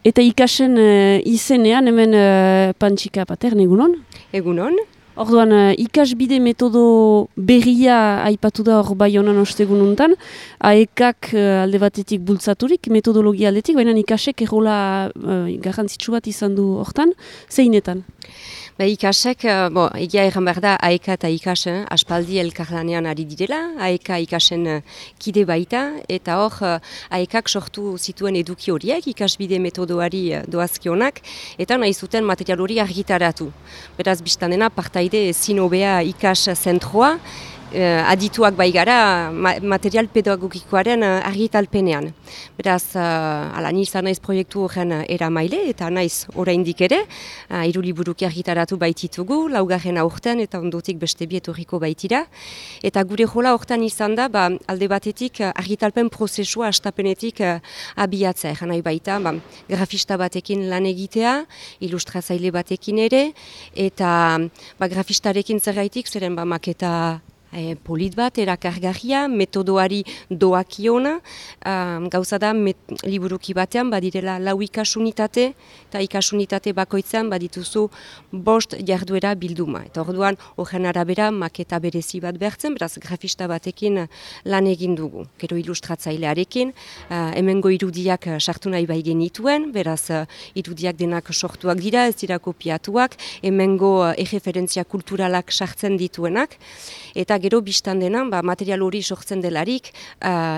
Eta ikasen izenean hemen Pantxika Patern, egunon? Egunon. Orduan, ikasbide metodo berria aipatu da hor Baionan ostegununtan, AEKak alde batetik bultzaturik, metodologia aldetik, baina ikasek errola garrantzitsu bat izan du hortan, zeinetan? Ikasek, egia erran behar da, AEK eta ikas aspaldi elkarlanean ari direla, AEK ikasen kide baita, eta hor AEKak sortu zituen eduki horiek, ikasbide metodoari doazkionak, eta nahi zuten material hori argitaratu. Beraz, biztanena, partaide ezin hobea ikas zentroa, adituak bai gara material pedagogikoaren argitalpenean. Beraz, ni izan naiz proiektu horren eramaile eta naiz oraindik ere, 3 liburuki argitaratu baititugu, 4. aurten eta ondotik beste bi etorriko baitira. Eta gure jola hortan izan da, alde batetik argitalpen prozesua hastapenetik abiatzea. Egan nahi baita, grafista batekin lan egitea, ilustratzaile batekin ere, eta grafistarekin zergaitik, zeren maketa polit bat, erakargarria, metodoari doakiona, gauza da liburuki batean badirela 4 ikasunitate, eta ikasunitate bakoitzean badituzu 5 jarduera bilduma. Eta orduan, horren arabera, maketa berezi bat behartzen, beraz grafista batekin lan egin dugu. Gero ilustratzailearekin, hemengo irudiak sartu nahi bai genituen, beraz irudiak denak sortuak dira, ez dira kopiatuak, hemengo erreferentzia kulturalak sartzen dituenak, eta gero biztan dena, material hori sortzen delarik,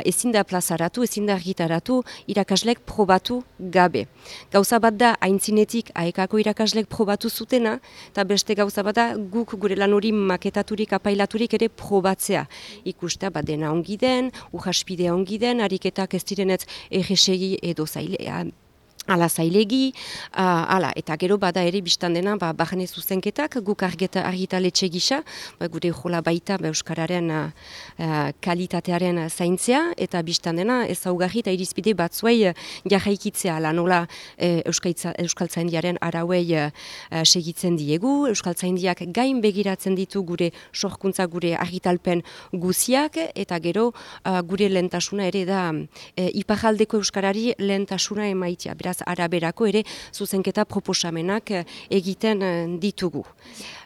ezin da plazaratu, ezin da argitaratu, irakaslek probatu gabe. Gauza bat da, aintzinetik AEKako irakaslek probatu zutena, eta beste gauza bat da, guk gure lan hori maketaturik, apailaturik ere probatzea. Ikustea, dena ongi den, urraspidea ongi den, ariketak ez direnetz erresegi edo zailea, ala zailegi, eta gero bada ere biztan dena, barne zuzenketak, guk argitaletxe gisa, gure jola baita euskararen kalitatearen zaintzea, eta biztan dena ezaugarri eta irizpide batzuei jarraikitzea, nola euskaltzaindiaren arauei segitzen diegu, euskaltzaindiak gain begiratzen ditu gure sorkuntza, gure argitalpen guziak, eta gero gure lehentasuna ere da iparraldeko euskarari lehentasuna emaitia. Beraz, araberako ere zuzenketa proposamenak egiten ditugu.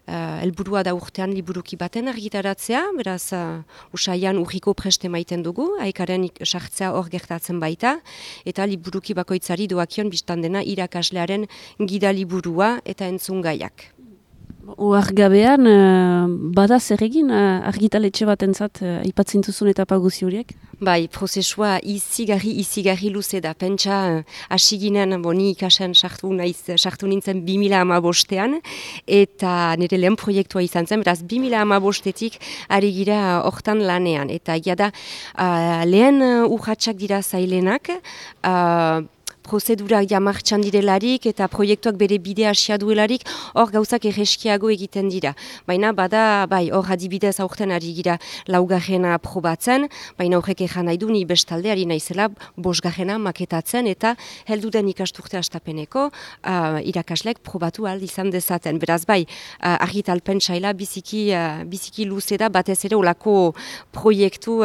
Helburua da urtean liburuki baten argitaratzea, beraz usaian urriko preste maiten dugu, AEKaren sartzea hor gertatzen baita, eta liburuki bakoitzari doakion biztan dena irakaslearen gida liburua eta entzungaiak. Oargabean, bada zer egin argitaletxe batentzat aipatzen duzun etapa guzi horiek? Bai, prozesua izigarri luze da. Pentsa, hasi ginen, ni ikasen sartu nintzen 2015-ean, eta nire lehen proiektua izan zen, beraz 2015-etik ari gira hortan lanean. Eta da, lehen urratsak dira zailenak, prozedurak jamartxan direlarik eta proiektuak bere bidea hasia duelarik, hor gauzak erreskiago egiten dira. Baina bada, hor adibidez aurten ari gira 4. probatzen, baina horrek ejan nahi du ni bestalde ari naizela 5. maketatzen eta helduden ikasturte hastapeneko irakaslek probatu ahal izan dezaten. Beraz argitalpen saila biziki luze da, batez ere olako proiektu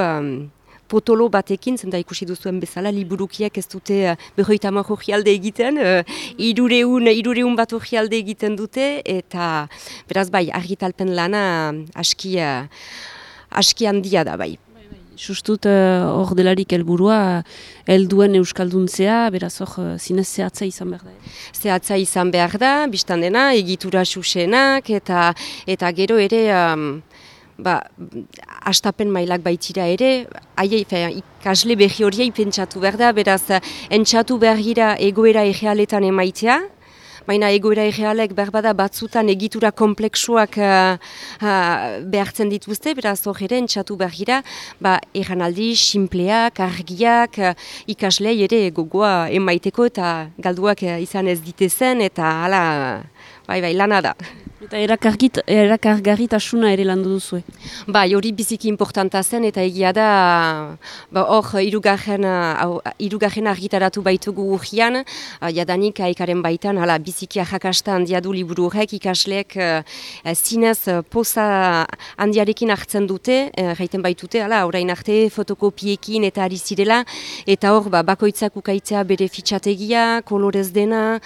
potolo batekin, zenta ikusi duzuen bezala, liburukiak ez dute 50 orrialde egiten, 300 bat orrialde egiten dute, eta beraz argitalpen lana aski handia da bai. Sustut hor delarik helburua helduen euskalduntzea, beraz hor zinez zehatza izan behar da. Zehatza izan behar da, biztan dena, egitura xuxenak, eta gero ere hastapen mailak baitira ere, ikasle berri horiei pentsatu behar da, beraz, entxatu behar gira egoera errealetan emaitea, baina egoera errealek berbada batzutan egitura kompleksuak behartzen dituzte, beraz hor ere entxatu behar gira, erranaldi, sinpleak, argiak, ikaslei ere gogoa emaiteko eta galduak izan ez ditezen, eta hala, lana da. Eta erakargarritasuna ere landu duzue. Bai, hori biziki importanta zen eta egia da hor hirugarren argitaratu baitugu urrian, jadanik aikaren baitan biziki arrakasta handia du liburu horrek, ikasleek zinez poza handiarekin hartzen dute, jaiten baitute, orain arte fotokopiekin eta ari zirela, eta hor bakoitzak ukaitzea bere fitxategia, kolorez dena,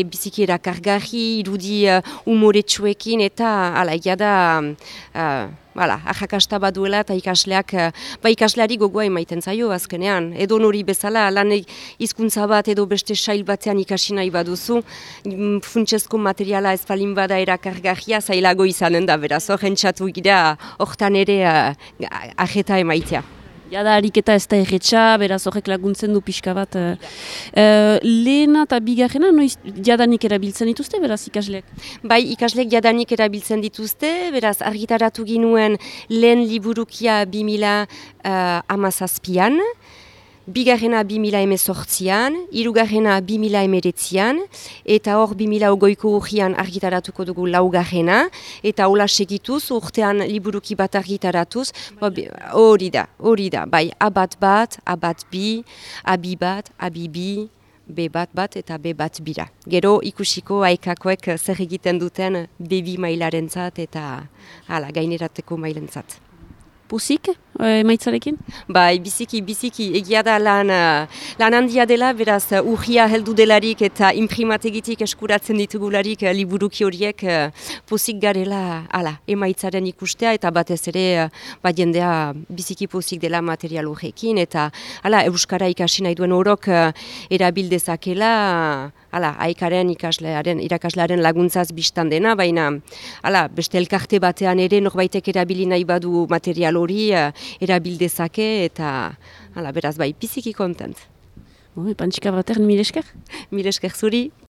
biziki erakargarri, irudi umoretsuekin eta egia da arrakasta baduela eta ikasleari gogoa emaiten zaio azkenean. Edo nori bezala lan hizkuntza bat edo beste sail batean ikasi nahi baduzu, funtsezko materiala ez balin bada erakargarria zailago izanen da, beraz hor entzatu gira hortan ere ajeta emaitea. Jada ariketa ez da erretxa, beraz horrek laguntzen du pixka bat. Lehena eta bigarrena, noiz jadanik erabiltzen dituzte, beraz ikasleek? Bai, ikasleek jadanik erabiltzen dituzte, beraz argitaratu ginuen lehen liburukia 2017an, bigarrena 2018an, hirugarrena 2019an, eta hor 2020ko urrian argitaratuko dugu laugarrena, eta hola segituz, urtean liburuki bat argitaratuz, hori da, bai, abat bat, abat bi, abi bat, abi bi, B bat eta B bat bira. Gero ikusiko aikakoek zer egiten duten B2 mailarentzat eta gainerateko mailentzat. Pozik, emaitzarekin? Bai, biziki, egia da lan handia dela, beraz urria heldu delarik eta imprimategitik eskuratzen ditugularik liburuki horiek pozik garela emaitzaren ikustea eta batez ere jendea biziki pozik dela material horrekin eta euskara ikasi nahi duen orok erabildezakela aikaren irakaslearen laguntzaz biztan dena, baina beste elkarte batean ere norbaitek erabili nahi badu material hori erabildezake eta beraz bai, biziki kontent. Pantxika batean, mil esker? Mil esker zuri.